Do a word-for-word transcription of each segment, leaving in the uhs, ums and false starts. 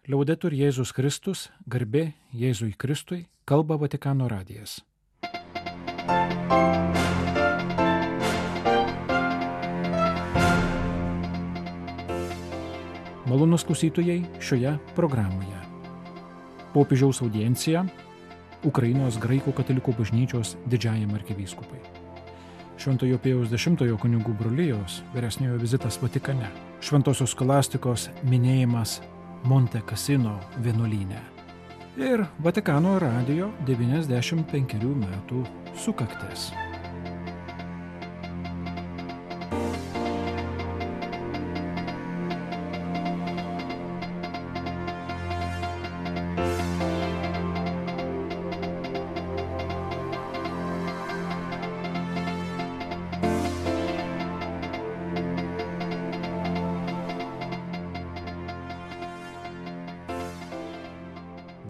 Liaudetur Jėzus Kristus, garbė Jėzui Kristui, kalba Vatikano radijas. Malonūs klausytojai šioje programoje. Popiežiaus audiencija Ukrainos graikų katalikų bažnyčios didžiajam arkivyskupai. Šventojo Pėjaus dešimtojo kunigų brolijos vyresniojo vizitas Vatikane. Šventosios skolastikos minėjimas Monte Cassino vienuolyne. Ir Vatikano radijo devyniasdešimt penkerių metų sukaktis.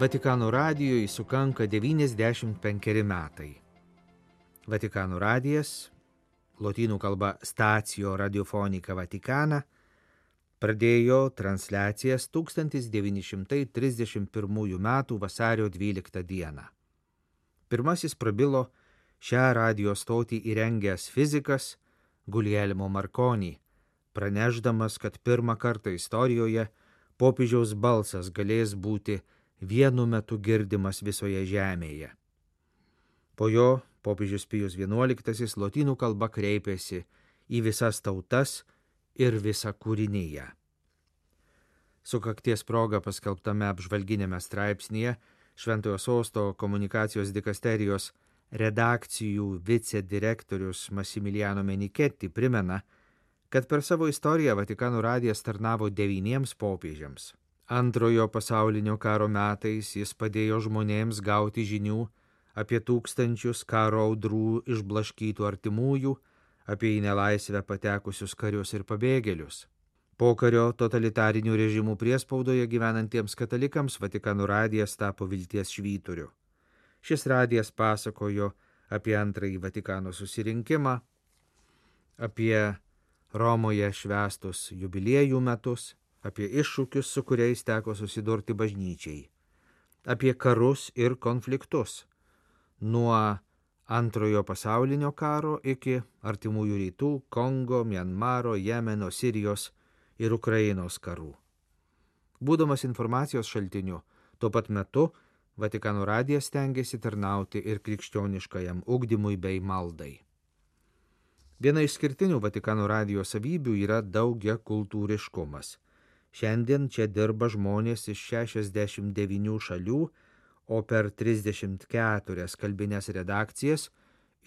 Vatikano radijui sukanka devyniasdešimt penkeri metai. Vatikano radijas, lotynų kalba Stacio Radiofonica Vaticana, pradėjo transliacijas tūkstantis devyni šimtai trisdešimt pirmųjų metų vasario dvyliktą dieną. Pirmasis prabilo šią radijo stotį įrengęs fizikas Guglielmo Marconi, pranešdamas, kad pirmą kartą istorijoje popiežiaus balsas galės būti vienu metu girdimas visoje žemėje. Po jo popiežius Pijus vienuoliktasis lotynų kalba kreipėsi į visas tautas ir visą kūriniją. Sukakties proga paskelbtame apžvalginėme straipsnyje Šventojo Sosto komunikacijos dikasterijos redakcijų vicedirektorius Massimiliano Menichetti primena, kad per savo istoriją Vatikano radijas tarnavo devyniems popiežiams. Antrojo pasaulinio karo metais jis padėjo žmonėms gauti žinių apie tūkstančius karo audrų išblaškytų artimųjų, apie į nelaisvę patekusius karius ir pabėgėlius. Pokario totalitarinių režimų priespaudoje gyvenantiems katalikams Vatikano radijas tapo vilties švyturiu. Šis radijas pasakojo apie antrąjį Vatikano susirinkimą, apie Romoje švęstus jubiliejų metus, apie iššūkius, su kuriais teko susidurti bažnyčiai, apie karus ir konfliktus, nuo antrojo pasaulinio karo iki artimųjų rytų, Kongo, Mianmaro, Jemeno, Sirijos ir Ukrainos karų. Būdamas informacijos šaltiniu, tuo pat metu Vatikano radijas stengiasi tarnauti ir krikščioniškajam ugdymui bei maldai. Viena iš skirtinių Vatikano radijo savybių yra daugiakultūriškumas. Šiandien čia dirba žmonės iš šešiasdešimt devynių šalių, o per trisdešimt keturias kalbines redakcijas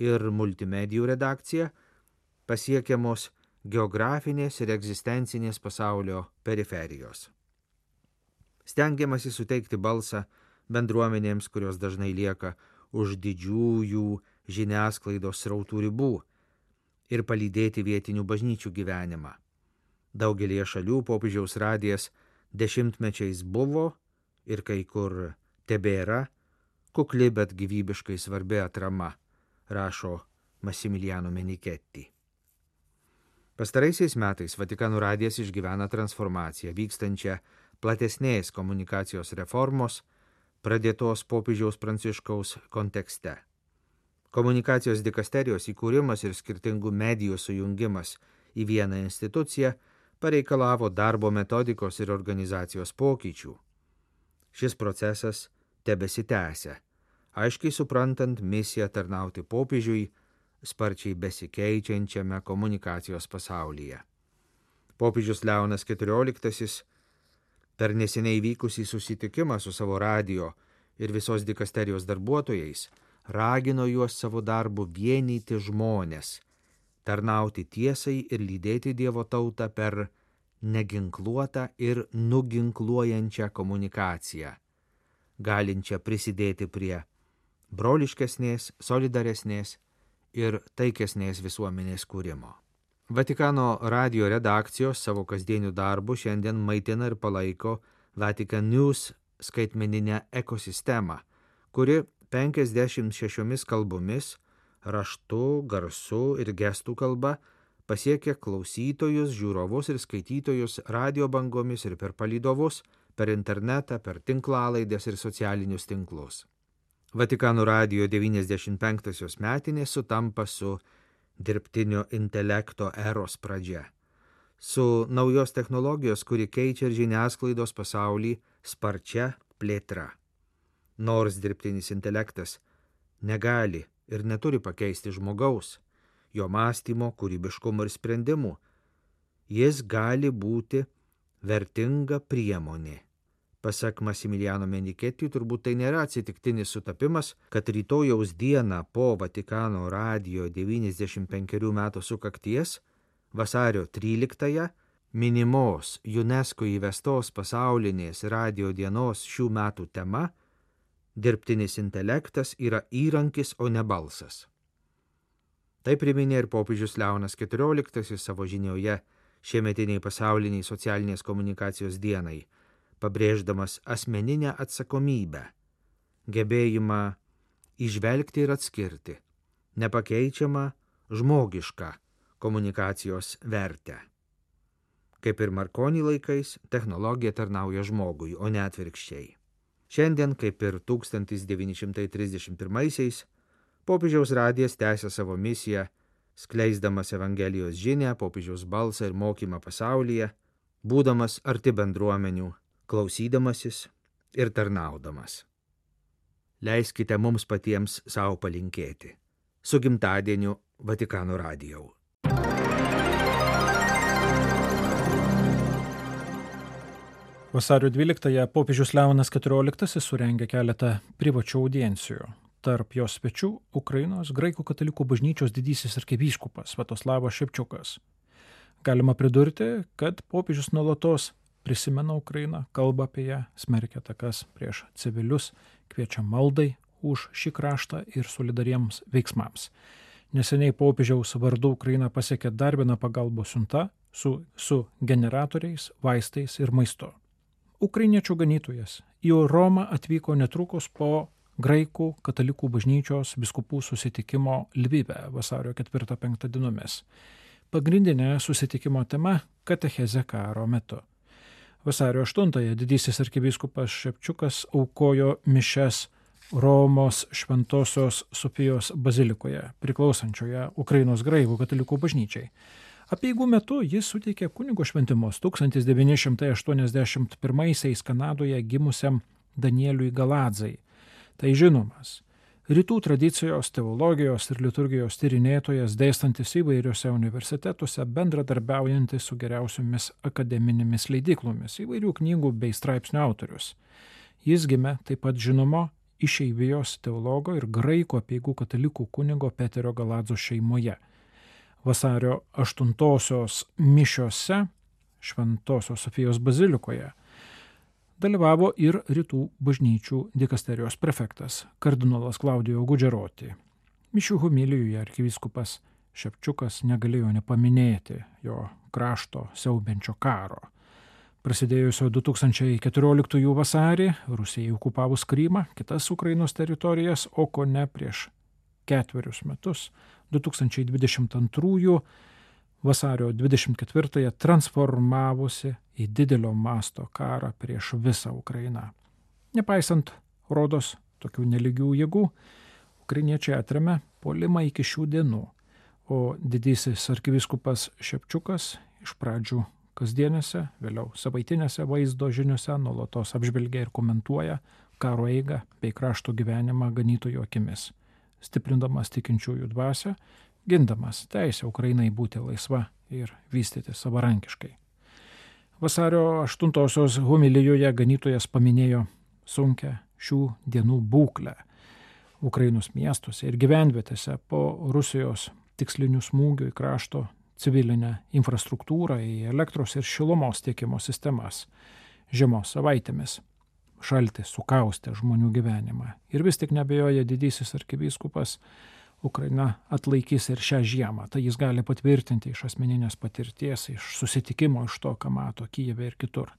ir multimedijų redakciją pasiekiamos geografinės ir egzistencinės pasaulio periferijos. Stengiamasi suteikti balsą bendruomenėms, kurios dažnai lieka už didžiųjų žiniasklaidos srautų ribų, ir palydėti vietinių bažnyčių gyvenimą. Daugelėje šalių popiežiaus radijas dešimtmečiais buvo ir kai kur tebėra kukli, bet gyvybiškai svarbi atrama, rašo Massimiliano Menichetti. Pastaraisiais metais Vatikano radijas išgyvena transformaciją, vykstančią platesnės komunikacijos reformos, pradėtos popiežiaus Pranciškaus kontekste. Komunikacijos dikasterijos įkūrimas ir skirtingų medijų sujungimas į vieną instituciją pareikalavo darbo metodikos ir organizacijos pokyčių. Šis procesas tebesitęsia, aiškiai suprantant misiją tarnauti popiežiui sparčiai besikeičiančiame komunikacijos pasaulyje. Popiežius Leonas keturioliktasis per neseniai vykusį susitikimą su savo radijo ir visos dikasterijos darbuotojais ragino juos savo darbu vienyti žmones, tarnauti tiesai ir lydėti Dievo tautą per neginkluotą ir nuginkluojančią komunikaciją, galinčią prisidėti prie broliškesnės, solidaresnės ir taikesnės visuomenės kūrimo. Vatikano radijo redakcijos savo kasdienių darbų šiandien maitina ir palaiko Vatican News skaitmeninę ekosistemą, kuri penkiasdešimt šešiomis kalbomis, raštu, garsu ir gestų kalba pasiekia klausytojus, žiūrovus ir skaitytojus radio bangomis ir per palydovus per internetą, per tinklalaidės ir socialinius tinklus. Vatikano radijo devyniasdešimt penktosios metinės sutampa su dirbtinio intelekto eros pradžia, su naujos technologijos, kuri keičia ir žiniasklaidos pasaulį sparčia plėtra. Nors dirbtinis intelektas negali ir neturi pakeisti žmogaus, jo mąstymo, kūrybiškumo ir sprendimų, jis gali būti vertinga priemonė. Pasak Massimiliano Menichetti, turbūt tai nėra atsitiktinis sutapimas, kad rytojaus dieną po Vatikano radijo devyniasdešimt penkerių metų sukakties, vasario tryliktąją, minimos UNESCO įvestos pasaulinės radijo dienos šių metų tema dirbtinis intelektas yra įrankis, o ne balsas. Tai priminė ir popiežius Leonas keturioliktasis savo žinioje šiemetiniai pasauliniai socialinės komunikacijos dienai, pabrėždamas asmeninę atsakomybę, gebėjimą įžvelgti ir atskirti, nepakeičiamą žmogišką komunikacijos vertę. Kaip ir Marconi laikais, technologija tarnauja žmogui, o ne atvirkščiai. Šiandien, kaip ir tūkstantis devyni šimtai trisdešimt pirmaisiais, popiežiaus radijas tęsia savo misiją, skleisdamas Evangelijos žinią, popiežiaus balsą ir mokymą pasaulyje, būdamas arti bendruomenių, klausydamasis ir tarnaudamas. Leiskite mums patiems savo palinkėti. Su gimtadieniu Vatikano radijau. Vasario dvyliktąją popiežius Leonas keturioliktasis surengė keletą privačių audiencijų. Tarp jos svečių Ukrainos graikų katalikų bažnyčios didysis arkivyskupas Sviatoslavas Ševčiukas. Galima pridurti, kad popiežius nuolatos prisimena Ukrainą, kalba apie ją, smerkia atakas prieš civilius, kviečia maldai už šį kraštą ir solidariems veiksmams. Neseniai popiežiaus vardu Ukraina pasiekė dar vieną pagalbos siunta su, su generatoriais, vaistais ir maistu. Ukrainiečių ganytojas į Romą atvyko netrukus po graikų katalikų bažnyčios vyskupų susitikimo Lvive vasario ketvirtą penktą dienomis. Pagrindinė susitikimo tema – katechezė karo metu. Vasario aštuntąją didysis arkivyskupas Ševčiukas aukojo mišias Romos Šventosios Sofijos bazilikoje, priklausančioje Ukrainos graikų katalikų bažnyčiai. Apeigų metu jis suteikė kunigo šventimus tūkstantis devyni šimtai aštuoniasdešimt pirmaisiais Kanadoje gimusiam Danieliui Galadzai. Tai žinomas rytų tradicijos, teologijos ir liturgijos tyrinėtojas, dėstantis įvairiuose universitetuose, bendradarbiaujantis su geriausiomis akademinėmis leidyklomis, įvairių knygų bei straipsnių autorius. Jis gimė taip pat žinomo išeivijos teologo ir graikų apeigų katalikų kunigo Peterio Galadzos šeimoje. Vasario aštuntosios mišiose Šventosios Sofijos bazilikoje dalyvavo ir rytų bažnyčių dikasterijos prefektas, kardinolas Klaudijo Gudžeroti. Mišių homilijoje arkivyskupas Ševčiukas negalėjo nepaminėti jo krašto siaubiančio karo. Prasidėjusio du tūkstančiai keturioliktųjų vasarį Rusijai okupavus Krymą, kitas Ukrainos teritorijas, o kone prieš ketverius metus, du tūkstančiai dvidešimt antrųjų vasario dvidešimt ketvirtąją transformavosi į didelio masto karą prieš visą Ukrainą. Nepaisant rodos tokių nelygių jėgų, ukrainiečiai atremė puolimą iki šių dienų, o didysis arkivyskupas Ševčiukas iš pradžių kasdienėse, vėliau savaitinėse vaizdo žiniose nuolatos apžvelgia ir komentuoja karo eigą bei krašto gyvenimą ganytojų akimis, stiprindamas tikinčiųjų dvasią, gindamas teisę Ukrainai būti laisva ir vystyti savarankiškai. Vasario aštuntosios homilijoje ganytojas paminėjo sunkią šių dienų būklę Ukrainos miestuose ir gyvenvietėse po Rusijos tikslinių smūgių į krašto civilinę infrastruktūrą, į elektros ir šilumos tiekimo sistemas. Žiemos savaitėmis šaltis sukaustė žmonių gyvenimą. Ir vis tik neabejoja didysis arkivyskupas, Ukraina atlaikys ir šią žiemą. Tai jis gali patvirtinti iš asmeninės patirties, iš susitikimo, iš to, ką mato Kijeve ir kitur.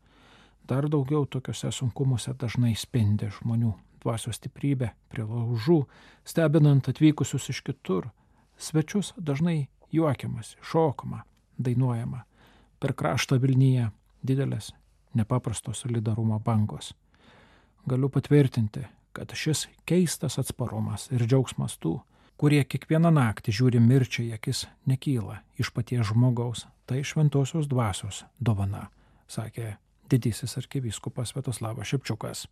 Dar daugiau tokiuose sunkumuose dažnai spindi žmonių dvasios stiprybė prie laužų, stebinant atvykusius iš kitur. Svečius dažnai juokiamasi, šokama, dainuojama. Per kraštą Vilniuje didelės nepaprasto solidarumo bangos. Galiu patvirtinti, kad šis keistas atsparumas ir džiaugsmas tų, kurie kiekvieną naktį žiūri mirčiai akis, nekyla iš paties žmogaus, tai šventosios dvasios dovana, sakė didysis arkivyskupas Sviatoslavas Šepčiukas.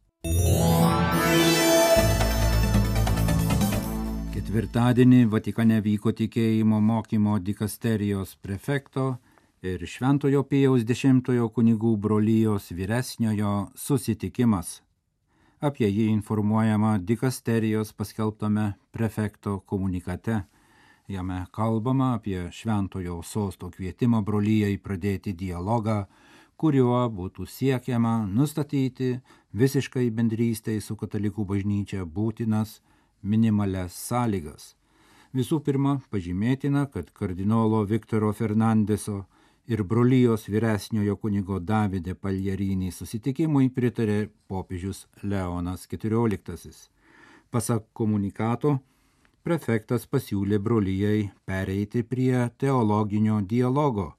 Ketvirtadienį Vatikane vyko tikėjimo mokymo dikasterijos prefekto ir Šventojo Pijaus dešimtojo kunigų brolijos vyresniojo susitikimas. Apie jį informuojama dikasterijos paskelbtame prefekto komunikate. Jame kalbama apie Šventojo sosto kvietimą brolijai pradėti dialogą, kuriuo būtų siekiama nustatyti visiškai bendrystei su katalikų bažnyčia būtinas minimalias sąlygas. Visų pirma, pažymėtina, kad kardinolo Viktoro Fernandeso ir brolijos vyresniojo kunigo Davide Paljarinį susitikimui pritarė popiežius Leonas keturioliktasis. Pasak komunikato, prefektas pasiūlė brolijai pereiti prie teologinio dialogo,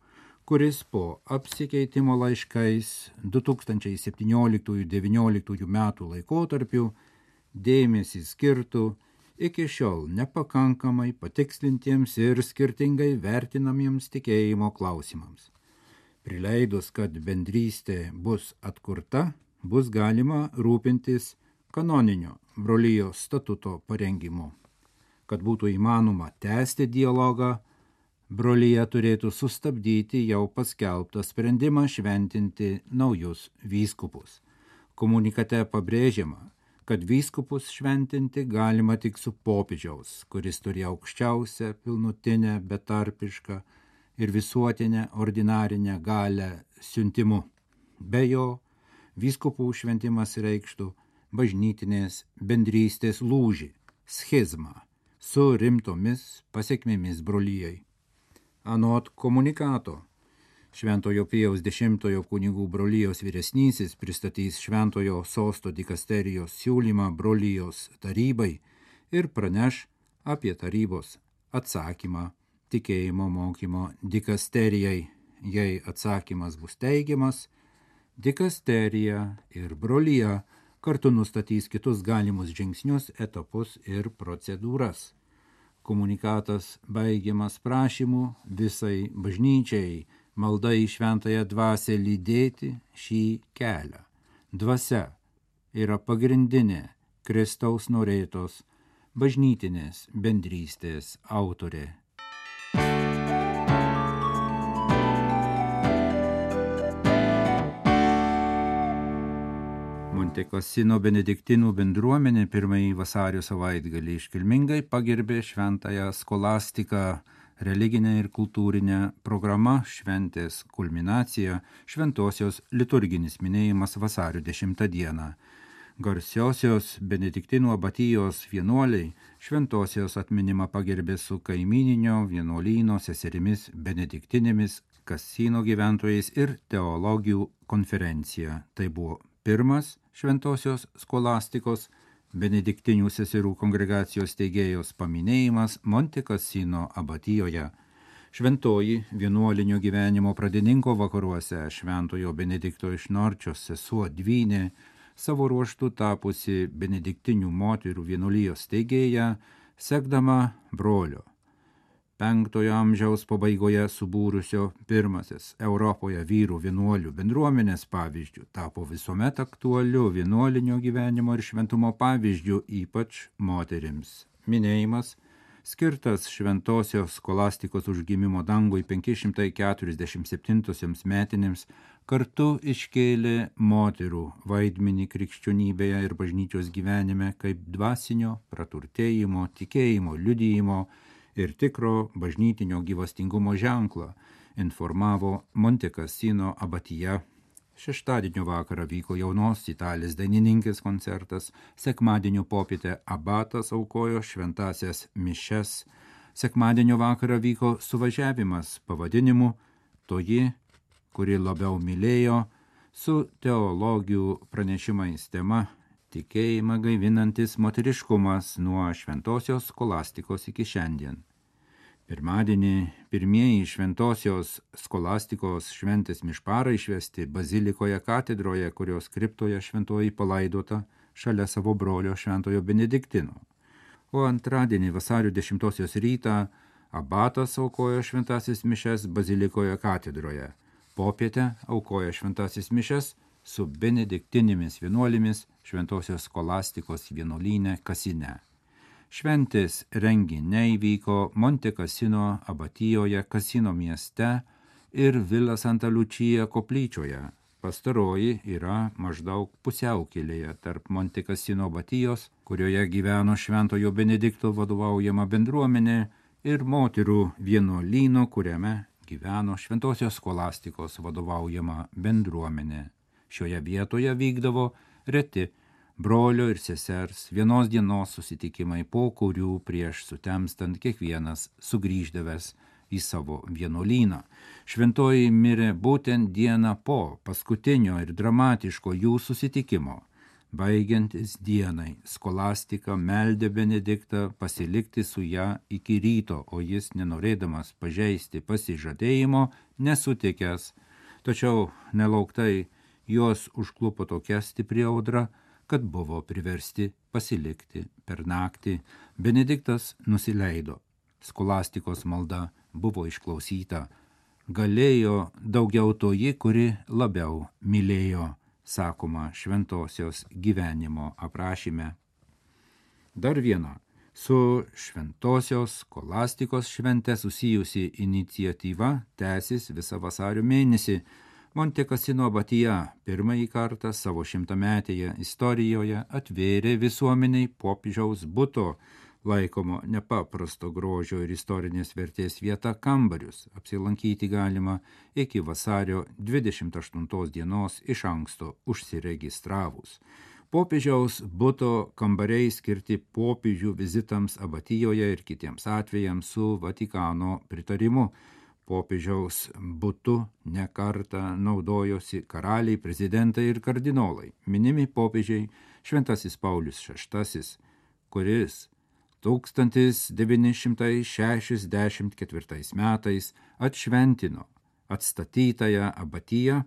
kuris po apsikeitimo laiškais du tūkstančiai septynioliktųjų devynioliktųjų metų laikotarpiu dėmesį skirtų iki šiol nepakankamai patikslintiems ir skirtingai vertinamiems tikėjimo klausimams. Prileidus, kad bendrystė bus atkurta, bus galima rūpintis kanoninio brolijos statuto parengimu. Kad būtų įmanoma tęsti dialogą, brolija turėtų sustabdyti jau paskelbtą sprendimą šventinti naujus vyskupus. Komunikate pabrėžiama, kad vyskupus šventinti galima tik su popiežiaus, kuris turi aukščiausią, pilnutinę, betarpišką ir visuotinę ordinarinę galią siuntimu. Be jo, vyskupų šventimas reikštų bažnytinės bendrystės lūžį, schizmą, su rimtomis pasekmėmis brolijai. Anot komunikato, Šventojo Pijaus dešimtojo kunigų brolijos vyresnysis pristatys Šventojo sosto dikasterijos siūlymą brolijos tarybai ir praneš apie tarybos atsakymą tikėjimo mokymo dikasterijai. Jei atsakymas bus teigiamas, dikasterija ir brolija kartu nustatys kitus galimus žingsnius, etapus ir procedūras. Komunikatas baigiamas prašymu visai bažnyčiai malda į šventąją dvasią lydėti šį kelią. Dvasia yra pagrindinė Kristaus norėtos bažnytinės bendrystės autorė. Monte Cassino benediktinų bendruomenė pirmąjį vasario savaitgalį iškilmingai pagerbė šventąją skolastiką. Religinė ir kultūrinė programa šventės kulminacija šventosios liturginis minėjimas vasario dešimtą dieną. Garsiosios benediktinų abatijos vienuoliai šventosios atminimą pagerbė su kaimininio vienuolyno seserimis benediktinėmis, Cassino gyventojais ir teologijų konferencija. Tai buvo pirmas šventosios skolastikos benediktinių seserų kongregacijos steigėjos paminėjimas Monte Cassino abatijoje. Šventoji vienuolinio gyvenimo pradininko vakaruose Šventojo Benedikto iš Norčios sesuo Dvynė, savo ruožtu tapusi benediktinių moterų vienuolijos steigėja, sekdama brolio penktojo amžiaus pabaigoje subūrusio pirmasis Europoje vyrų vienuolių bendruomenės pavyzdžių, tapo visuomet aktualiu vienuolinio gyvenimo ir šventumo pavyzdžių, ypač moterims. Minėjimas, skirtas šventosios skolastikos užgimimo dangui penki šimtai keturiasdešimt septintosioms metinėms, kartu iškėlė moterų vaidmenį krikščionybėje ir bažnyčios gyvenime kaip dvasinio praturtėjimo, tikėjimo, liudijimo ir tikro bažnytinio gyvastingumo ženklą, informavo Monte Cassino abatija. Šeštadienio vakarą vyko jaunos italės dainininkės koncertas, sekmadienio popietę abatas aukojo šventasias mišes, sekmadienio vakarą vyko suvažiavimas pavadinimu Toji, kuri labiau mylėjo, su teologijų pranešimais tema tikėjimą gaivinantis moteriškumas nuo šventosios skolastikos iki šiandien. Pirmadienį pirmieji šventosios skolastikos šventės mišparai išvesti bazilikoje katedroje, kurios kriptoje šventoji palaidota šalia savo brolio šventojo Benediktino. O antradienį vasario dešimtosios rytą abatas aukojo šventasis mišes bazilikoje katedroje. Popietę aukojo šventasis mišes su benediktinėmis vienuolėmis šventosios skolastikos vienuolyne Kasine. Šventės renginiai vyko Monte Cassino abatijoje Kasino mieste ir Villa Santa Lucia koplyčioje. Pastaroji yra maždaug pusiaukelėje tarp Monte Cassino abatijos, kurioje gyveno šventojo Benedikto vadovaujama bendruomenė, ir moterų vienuolyno, kuriame gyveno šventosios skolastikos vadovaujama bendruomenė. Šioje vietoje vykdavo reti brolio ir sesers vienos dienos susitikimai, po kurių prieš sutemstant kiekvienas sugrįždavęs į savo vienuolyną. Šventoji mirė būtent dieną po paskutinio ir dramatiško jų susitikimo. Baigiantis dienai, skolastika meldė Benediktą pasilikti su ją iki ryto, o jis, nenorėdamas pažeisti pasižadėjimo, nesutikęs. Tačiau nelauktai juos užklupo tokia stipri audra, kad buvo priversti pasilikti per naktį. Benediktas nusileido. Skolastikos malda buvo išklausyta. Galėjo daugiau toji, kuri labiau mylėjo, sakoma šventosios gyvenimo aprašyme. Dar viena su šventosios skolastikos švente susijusi iniciatyva tęsis visą vasario mėnesį. Monte Cassino abatija pirmąjį kartą savo šimtametėje istorijoje atvėrė visuomeniai popiežiaus buto, laikomo nepaprasto grožio ir istorinės vertės vieta kambarius. Apsilankyti galima iki vasario dvidešimt aštuntos dienos iš anksto užsiregistravus. Popiežiaus buto kambariai skirti popiežių vizitams abatijoje ir kitiems atvejams su Vatikano pritarimu. Popiežiaus butu nekartą naudojosi karaliai, prezidentai ir kardinolai. Minimi popiežiai šventasis Paulius šeštasis, kuris tūkstantis devyni šimtai šešiasdešimt ketvirtais metais atšventino atstatytąją abatiją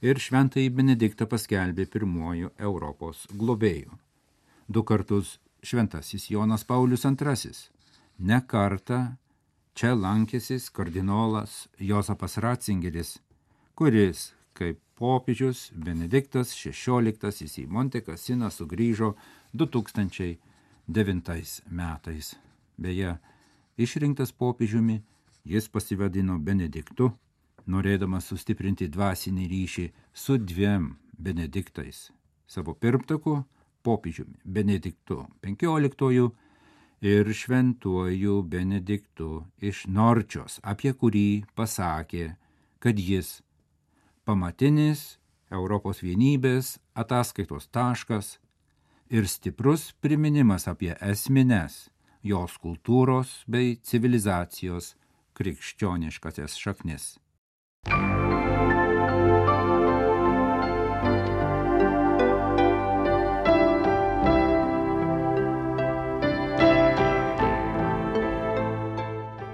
ir šventąjį Benediktą paskelbė pirmuoju Europos globėju. Du kartus šventasis Jonas Paulius antrasis. Ne kartą čia lankėsis kardinolas Jozapas Ratzingeris, kuris, kaip popiežius Benediktas šešioliktasis į Monte Cassiną sugrįžo du tūkstančiai devintais metais. Beje, išrinktas popiežiumi, jis pasivadino Benediktu, norėdamas sustiprinti dvasinį ryšį su dviem Benediktais. Savo pirmtaku, popiežiumi Benediktu penkioliktuoju ir šventuoju Benediktu iš Norčios, apie kurį pasakė, kad jis pamatinis Europos vienybės ataskaitos taškas ir stiprus priminimas apie esmines jos kultūros bei civilizacijos krikščioniškasias šaknis.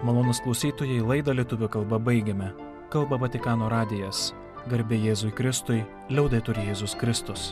Malonūs klausytojai, laidą lietuvių kalba baigiame. Kalba Vatikano radijas. Garbė Jėzui Kristui, liaudetur Jėzus Kristus.